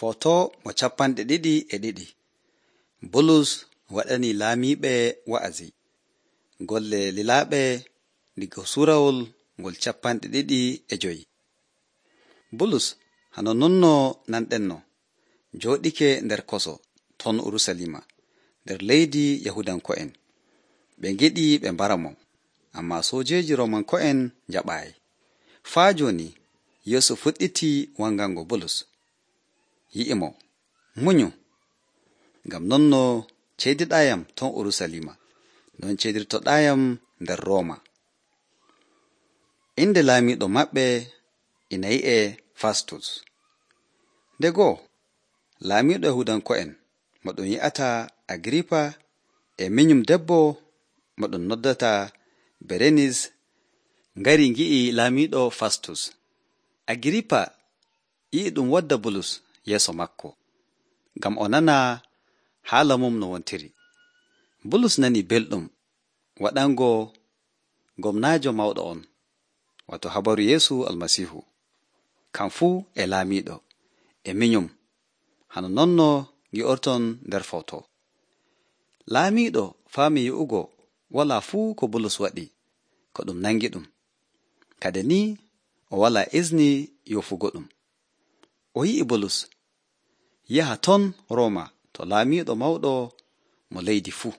Foto mo 22. Bulus waɗani laamiiɓe wa'azi. Golle lilaaɓe diga suurawol ngol 25. Bulus hano nonno nanɗenno jooɗike nder koso ton Urusalima nder leydi Yahudanko'en. Ɓe ngiɗi ɓe mbara mo, ammaa soojeeji Roomanko'en jaɓaayi. Faa jooni Yeesu fuɗɗiti wangango Bulus. Yi'i mo, munyu, ngam nonno ceydiɗaayam ton Urusalima, non ceydirtoɗaayam nder Rooma. Inde laamiiɗo maɓɓe ina yi'e Fastus. Nde goo, laamiiɗo Yahudanko'en mo ɗum yi'ata Agiripa e minyum debbo mo ɗum noddata Berenis ngari ngi'i laamiiɗo Fastus. Agiripa yi'i ɗum wadda Bulus yeeso makko, ngam o nana haala mum no wontiri. Bulus nani belɗum waɗango gomnaajo mawɗo on, wato habaru Yeesu Almasiihu, kam fuu e laamiiɗo, e minyum, hano nonno ngi'orton nder foto. Laamiiɗo faami yi'ugo walaa fuu ko Bulus waɗi, ko ɗum nangi ɗum. Kade ni o walaa isni yofugo ɗum. O yi'i Bulus yaha ton Rooma to laamiiɗo mawɗo mo leydi fuu.